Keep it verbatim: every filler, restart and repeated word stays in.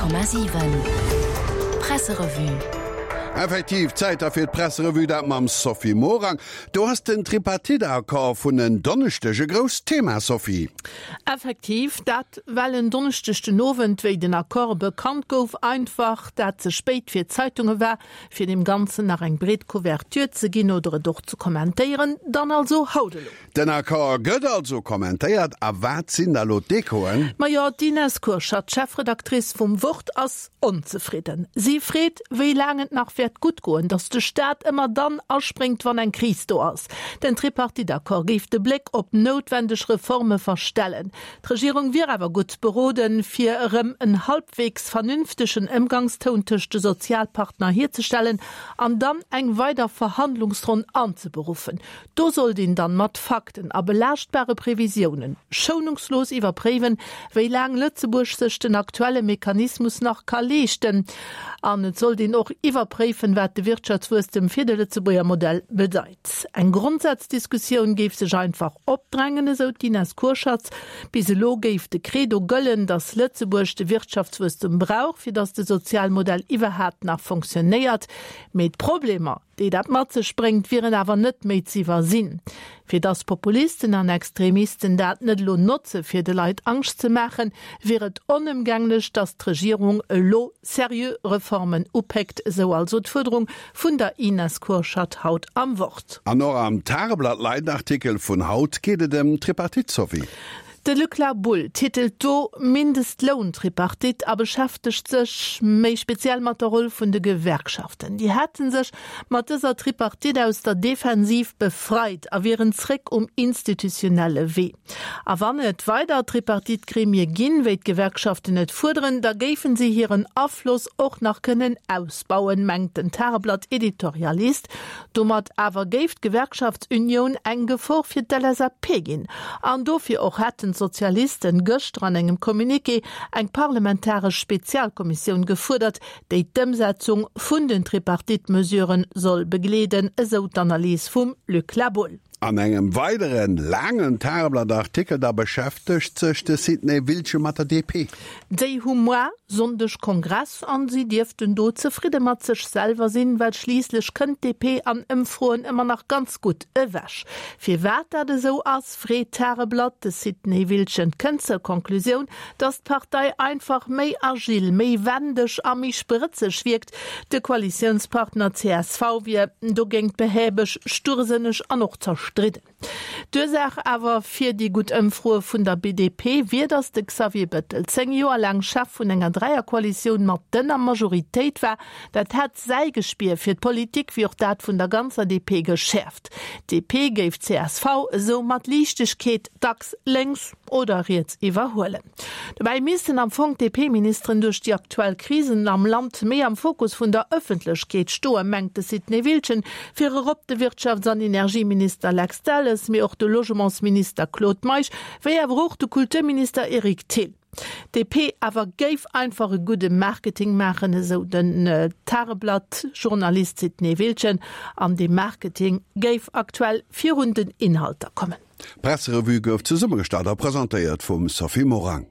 Komma siwen Presserevue. Effektiv, Zäit da fir d'Presserevue, dat mam Sophie Morang. Do ass den Tripartite-Accord vun en Donneschdeg e grousst Thema, Sophie. Effektiv, dat well en Donneschdeg den Owend, wéi den Accord bekannt gouf, einfach dat ze spéit fir d'Zeitunge war, fir deem Ganzen nach eng breet Couverture ze ginn oder et och ze kommentéieren. Dann also haut elo. Den Accord gëtt also kommentéiert. A wat sinn da lo d'Echoen? Majo, d'Ines Kurschat, d'Chefredactrice vum Wort, ass onzefridden. Si freet, wéi laang et nach wäert gutt goen, datt de Staat ëmmer dann aspréngt, wann eng Kris do ass. Den Tripartite-Accord géif de Bléck op noutwendeg Reforme verstellen. D'Regierung wier awer gutt beroden, fir erëm en halbwegs vernünftegen Ëmgangstoun tëscht de Sozialpartner hierzestellen an dann eng weider Verhandlungsronn anzeberuffen. Do sollt een dann mat Fakten a belaaschtbare Previsiounen schounungslos iwwerpréiwen, wéi laang Lëtzebuerg sech den aktuelle Mechanismus nach ka leeschten. An et sollt een och iwwerpréifen, wat de Wirtschaftswuesstem fir de Lëtzebuerger Modell bedeit. Eng Grondsazdiskussioun géif sech einfach opdrängen, esou d'Ines Kurschatz. Bis elo géif de Credo gëllen, datt Lëtzebuerg de Wirtschaftswuesstem brauch, fir datt de Sozialmodell iwwerhaapt nach fonctionnéiert. Mee d'Problemer, déi dat mat sech bréngt, wieren awer net méi z'iwwersinn. Fir dass Populisten an Extremisten dat net elo notze fir de Leit Angscht ze maachen, wier et onëmgänglech, dass d'Regierung elo seriö Reformen upéckt, esou also d'Fuerderung vun der Ines Kurschat haut am Wort. An och am Tageblatt-Leitartikel vun haut geet et ëm d'Tripartite, Sophie. De Luc La Boule titelt do Mindestloun-Tripartite a beschäftegt sech méi speziell mat der Roll vun de Gewerkschaften. Déi hätte sech mat dëser Tripartite aus der Defensiv befreit a wieren zréck um institutionelle Wee. A wann et weider Tripartite-Gremie ginn, wéi d'Gewerkschaften et fuerderen, da géifen si hiren Afloss och nach kënnen ausbauen, mengt den Tageblatt-Editorialist. Domat awer géif d'Gewerkschaftsunioun eng Gefor fir d'L S A P ginn. An dofir och hätten d'Sozialisten gëschter an engem Communiqué eng parlamentaresch Spezialkommissioun gefuerdert, déi d'Ëmsetzung vun den Tripartite-Mesuren soll begleeden, esou d'Analys vum Luc La Boule. An engem weideren laangen Tageblatt-Artikel da beschäftegt sech de Sidney Wiltgen mat der D P. Déi hu muer Sonndeg Kongress an si dierften do zefridde mat sech selwer sinn, well schliisslech kënnt d'D P an Ëmfroen ëmmer nach ganz gutt ewech. Firwat dat esou ass, freet d'Tageblatt. De Sidney Wiltgen kënnt zur Konklusioun, datt d'Partei einfach méi agil, méi wendeg a méi sprëtzeg wierkt. De Koalitiounspartner C S V wier dogéint behäbeg, stursënneg an och zerstridden. D'Ursaach awer fir déi gutt Ëmfroe vun der D P wier, datt de Xavier Bettel zéng Joer laang Chef vun enger Dräierkoalitioun mat dënner Majoritéit war. Dat hätt säi Gespier fir d'Politik wéi och dat vun der ganzer D P geschäerft. D P géif C S V esou mat Liichtegkeet dacks lénks oder riets iwwerhuelen. Dobäi missten am Fong d'D P-Ministeren duerch déi aktuell Krisen am Land méi am Fokus vun der Ëffentlechkeet stoen, mengt de Sidney Wiltgen, virop de Wirtschafts an Energieminister Lex Delles, mee och de Logementsminister Claude Meisch, wéi awer och de Kulturminister Eric Thill. D P awer géif einfach e gudde Marketing maachen, esou den Tageblatt-Journalist Sidney Wiltgen, an dee Marketing géif aktuell virun den Inhalter kommen. D'Presserevue gouf zesummegestallt a presentéiert vum Sophie Morang.